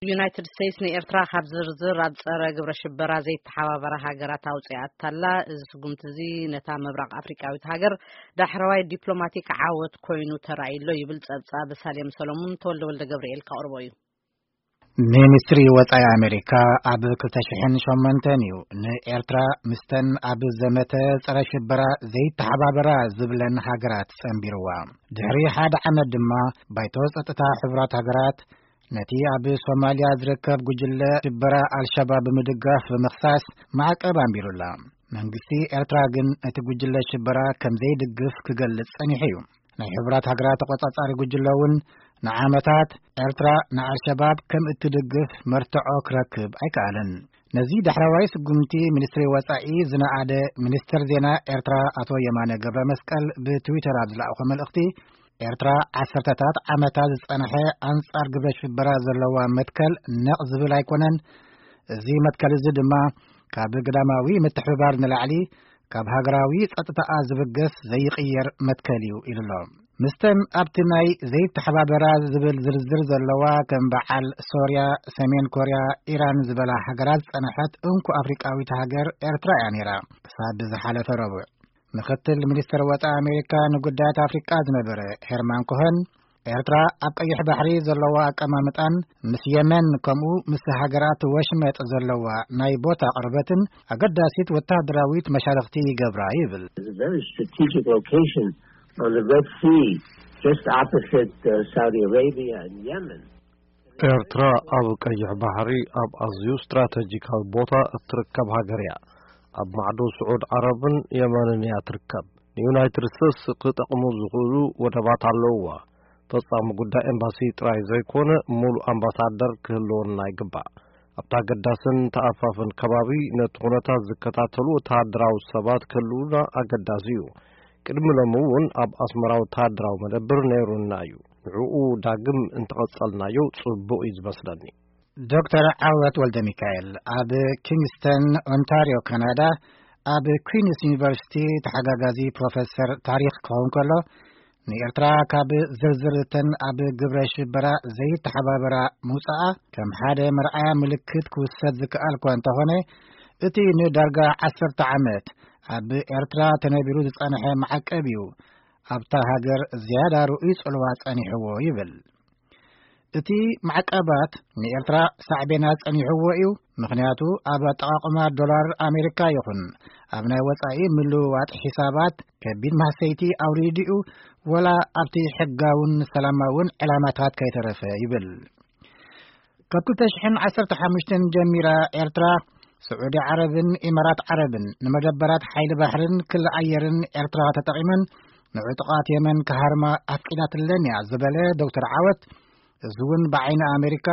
ዩናይትድ ስቴትስ ንኤርትራ ካብ ዝርዝር ኣብ ጸረ ግብረ ሽበራ ዘይተሓባበራ ሃገራት ኣውጽኣታላ። እዚ ስጉምቲ እዚ ነታ ምብራቕ ኣፍሪቃዊት ሃገር ዳሕረዋይ ዲፕሎማቲክ ዓወት ኮይኑ ተራእዩ ኣሎ ይብል ጸብጻብ ሳሌም ሰሎሙን። ተወልደ ወልደ ገብርኤል ከቕርቦ እዩ። ሚኒስትሪ ወጻኢ ኣሜሪካ ኣብ ክልተ ሽሕን ሸሞንተን እዩ ንኤርትራ ምስተን ኣብ ዘመተ ጸረ ሽበራ ዘይተሓባበራ ዝብለን ሃገራት ጸንቢርዋ። ድሕሪ ሓደ ዓመት ድማ ባይቶ ጸጥታ ሕቡራት ሃገራት ነቲ ኣብ ሶማልያ ዝርከብ ጉጅለ ሽበራ ኣልሸባብ ብምድጋፍ ብምኽሳስ ማዕቀብ ኣንቢሩላ። መንግስቲ ኤርትራ ግን ነቲ ጉጅለ ሽበራ ከም ዘይድግፍ ክገልጽ ጸኒሑ እዩ። ናይ ሕቡራት ሃገራት ተቖጻጻሪ ጉጅለ እውን ንዓመታት ኤርትራ ንኣልሸባብ ከም እትድግፍ መርትዖ ክረክብ ኣይከኣለን። ነዚ ዳሕረዋይ ስጉምቲ ሚኒስትሪ ወጻኢ ዝነኣደ ሚኒስትር ዜና ኤርትራ ኣቶ የማነ ገብረ መስቀል ብትዊተር ኣብ ዝለኣኾ መልእኽቲ፣ ኤርትራ ዓሰርተታት ዓመታት ዝጸንሐ ኣንጻር ግብረ ሽበራ ዘለዋ መትከል ነቕ ዝብል ኣይኮነን። እዚ መትከል እዚ ድማ ካብ ግዳማዊ ምትሕብባር ንላዕሊ ካብ ሃገራዊ ጸጥታኣ ዝብገስ ዘይቕየር መትከል እዩ ኢሉ ኣሎ። ምስተን ኣብቲ ናይ ዘይተሓባበራ ዝብል ዝርዝር ዘለዋ ከም በዓል ሶርያ፣ ሰሜን ኮርያ፣ ኢራን ዝበላ ሃገራት ዝጸንሐት እንኮ ኣፍሪቃዊት ሃገር ኤርትራ እያ ነይራ። ክሳብ ዝሓለፈ ረቡዕ ምክትል ሚኒስትር ወጻኢ ኣሜሪካ ንጉዳያት ኣፍሪቃ ዝነበረ ሄርማን ኮኸን፣ ኤርትራ ኣብ ቀይሕ ባሕሪ ዘለዋ ኣቀማምጣን ምስ የመን ከምኡ ምስ ሃገራት ወሽመጥ ዘለዋ ናይ ቦታ ቅርበትን ኣገዳሲት ወታደራዊት መሻርኽቲ ይገብራ ይብል። It's a very strategic location on the Red Sea, just opposite uh, Saudi Arabia and Yemen. ኤርትራ ኣብ ቀይሕ ባሕሪ ኣብ ኣዝዩ ስትራተጂካዊ ቦታ እትርከብ ሃገር እያ። ኣብ ማዕዶ ስዑድ ዓረብን የመንን እያ ትርከብ። ንዩናይትድ ስቴትስ ክጠቕሙ ዝኽእሉ ወደባት ኣለውዋ። ፈጻሚ ጉዳይ ኤምባሲ ጥራይ ዘይኮነ፣ ሙሉእ ኣምባሳደር ክህልወና ይግባእ። ኣብቲ ኣገዳስን ተኣፋፍን ከባቢ ነቲ ኩነታት ዝከታተሉ ወተሃደራዊ ሰባት ክህልዉና ኣገዳሲ እዩ። ቅድሚ ሎሚ እውን ኣብ ኣስመራ ወተሃደራዊ መደብር ነይሩና እዩ። ንዕኡ ዳግም እንተቐጸልናዮ ጽቡቕ እዩ ዝመስለኒ። ዶክተር ዓወት ወልደሚካኤል ኣብ ኪንግስተን ኦንታርዮ ካናዳ ኣብ ኩዊንስ ዩኒቨርሲቲ ተሓጋጋዚ ፕሮፌሰር ታሪኽ ክኸውን ከሎ፣ ንኤርትራ ካብ ዝርዝር እተን ኣብ ግብረ ሽበራ ዘይተሓባበራ ምውጻኣ ከም ሓደ መርኣያ ምልክት ክውሰድ ዝከኣል እኳ እንተኾነ፣ እቲ ንዳርጋ ዓሰርተ ዓመት ኣብ ኤርትራ ተነቢሩ ዝጸንሐ ማዕቀብ እዩ ኣብታ ሃገር ዝያዳ ርኡይ ጽልዋ ጸኒሕዎ ይብል። እቲ ማዕቀባት ንኤርትራ ሳዕቤናት ጸኒሕዎ እዩ። ምኽንያቱ ኣብ ኣጠቓቕማ ዶላር ኣሜሪካ ይኹን ኣብ ናይ ወጻኢ ምልውዋጥ ሒሳባት ከቢድ ማህሰይቲ ኣውሪዱ እዩ፣ ወላ ኣብቲ ሕጋውን ሰላማውን ዕላማታት ከይተረፈ ይብል። ካብ ክልተ ሽሕን ዓሰርተ ሓሙሽተን ጀሚራ ኤርትራ፣ ስዑዲ ዓረብን ኢማራት ዓረብን ንመደበራት ሓይሊ ባሕርን ክሊ ኣየርን ኤርትራ ተጠቒመን ንዕጡቓት የመን ክሃርማ ኣፍቂዳትለን እያ ዝበለ ዶክተር ዓወት፣ እዚ እውን ብዓይኒ ኣሜሪካ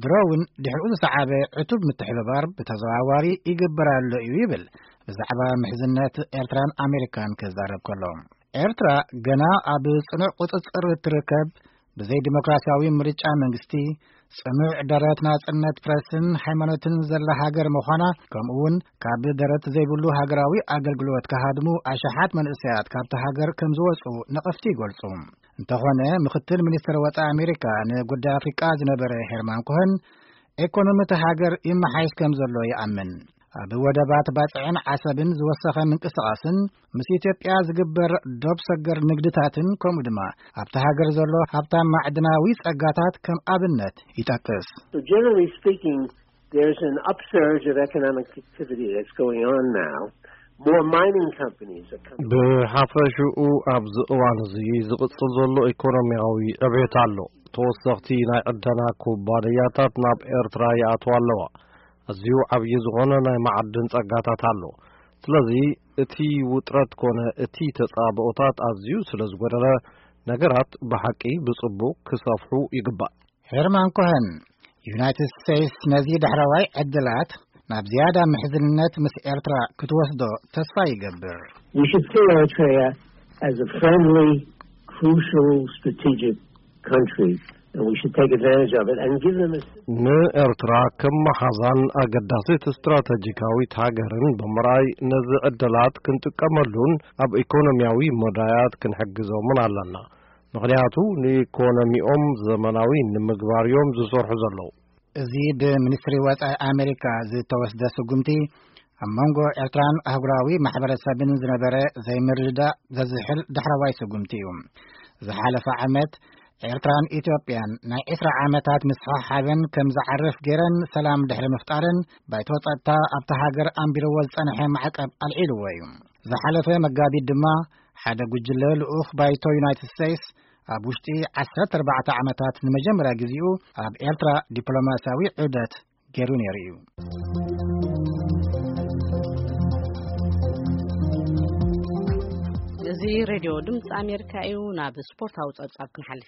ድሮ እውን ድሕሪኡ ዝሰዓበ ዕቱብ ምትሕብባር ብተዘዋዋሪ ይግበር ኣሎ እዩ ይብል። ብዛዕባ ምሕዝነት ኤርትራን ኣሜሪካን ክዛረብ ከሎ፣ ኤርትራ ገና ኣብ ጽኑዕ ቁጽጽር እትርከብ፣ ብዘይ ዲሞክራሲያዊ ምርጫ መንግስቲ፣ ጽኑዕ ደረት ናጽነት ፕረስን ሃይማኖትን ዘላ ሃገር ምዃና፣ ከምኡ እውን ካብ ደረት ዘይብሉ ሃገራዊ ኣገልግሎት ክሃድሙ ኣሽሓት መንእሰያት ካብታ ሃገር ከም ዝወጹ ነቐፍቲ ይገልጹ። እንተኾነ፣ ምኽትል ሚኒስትር ወጻኢ ኣሜሪካ ንጉዳይ ኣፍሪቃ ዝነበረ ሄርማን ኮኸን፣ ኤኮኖሚ እታ ሃገር ይመሓየሽ ከም ዘሎ ይኣምን። ኣብ ወደባት ባጽዕን ዓሰብን ዝወሰኸ ምንቅስቓስን ምስ ኢትዮጵያ ዝግበር ዶብ ሰገር ንግድታትን፣ ከምኡ ድማ ኣብታ ሃገር ዘሎ ሃብታም ማዕድናዊ ጸጋታት ከም ኣብነት ይጠቅስ። So generally speaking, there's an upsurge of economic activity that's going on now, more mining companies are coming. ብሓፈሽኡ ኣብዚ እዋን እዚ ዝቕጽል ዘሎ ኢኮኖሚያዊ ዕቤት ኣሎ። ተወሰኽቲ ናይ ዕደና ኩባንያታት ናብ ኤርትራ ይኣትዋ ኣለዋ። ኣዝዩ ዓብዪ ዝኾነ ናይ መዓድን ጸጋታት ኣሎ። ስለዚ እቲ ውጥረት ኮነ እቲ ተጻብኦታት ኣዝዩ ስለ ዝጎደለ፣ ነገራት ብሓቂ ብጽቡቕ ክሰፍሑ ይግባእ። ሄርማን ኮኸን፣ ዩናይትድ ስቴትስ ነዚ ዳሕረዋይ ዕድላት ናብ ዝያዳ ምሕዝነት ምስ ኤርትራ ክትወስዶ ተስፋ ይገብር። We should see Eritrea as a friendly, crucial, strategic country, and we should take advantage of it and give them a ንኤርትራ ከም መሓዛን ኣገዳሲት ስትራተጂካዊት ሃገርን ብምርኣይ፣ ነዚ ዕድላት ክንጥቀመሉን ኣብ ኢኮኖሚያዊ መዳያት ክንሕግዞምን ኣለና። ምኽንያቱ ንኢኮኖሚኦም ዘመናዊ ንምግባር እዮም ዝሰርሑ ዘለዉ። እዚ ብሚኒስትሪ ወጻኢ ኣሜሪካ ዝተወስደ ስጉምቲ ኣብ መንጎ ኤርትራን ኣህጉራዊ ማሕበረሰብን ዝነበረ ዘይምርድዳእ ዘዝሕል ዳሕረዋይ ስጉምቲ እዩ። ዝሓለፈ ዓመት ኤርትራን ኢትዮጵያን ናይ ዕስራ ዓመታት ምስሕሓብን ከም ዝዓርፍ ገይረን ሰላም ድሕሪ ምፍጣርን ባይቶ ጸጥታ ኣብታ ሃገር ኣንቢርዎ ዝጸንሐ ማዕቀብ ኣልዒልዎ እዩ። ዝሓለፈ መጋቢት ድማ ሓደ ጉጅለ ልኡኽ ባይቶ ዩናይትድ ስቴትስ ኣብ ውሽጢ ዓሰርተ ኣርባዕተ ዓመታት ንመጀመርያ ግዜኡ ኣብ ኤርትራ ዲፕሎማስያዊ ዑደት ገይሩ ነይሩ እዩ። እዚ ሬድዮ ድምፂ ኣሜሪካ እዩ። ናብ ስፖርታዊ ፀብፃብ ክንሓልፍ